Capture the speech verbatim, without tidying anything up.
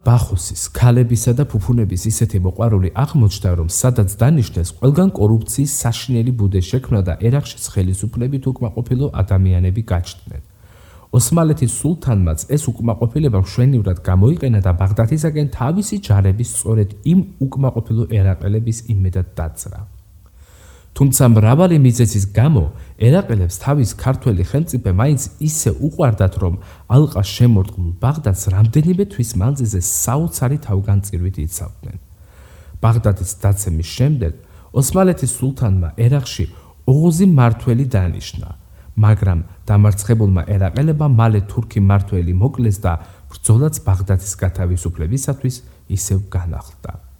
ბახუსის, ქალებისა და ფუფუნების ისეთი მოყვარული აღმოჩნდა, რომ სადაც დანიშნეს, ყველგან კორუფციის საშინელი ბუდე შექმნა და ერაყშიც ხელისუფლებით უკმაყოფილო ადამიანები გაჩნდნენ. ოსმალეთის სულთანმაც ეს უკმაყოფილება მშვენივრად გამოიყენა და ბაღდათისაკენ თავისი ჯარების სწორედ იმ უკმაყოფილო ერაყელების იმედად დაძრა. თუმცა მრავალი მიზეზის გამო ერაყელებს თავის ქართველი ხელმწიფე მაინც ისე უყვარდათ, რომ ალყას შემორტყმულ ბაღდათს რამდენიმე თვის მანძილზე საოცარი თავგანწირვით იცავდნენ. ბაღდათის დაცემის შემდეგ ოსმალეთის სულთანმა ერაყში ოღოზი მმართველი დანიშნა, მაგრამ დამარცხებულმა ერაყელებმა მალე თურქი მმართველი მოკლეს და ბრძოლაც ბაღდათის გათავისუფლებისათვის ისევ განახლდა.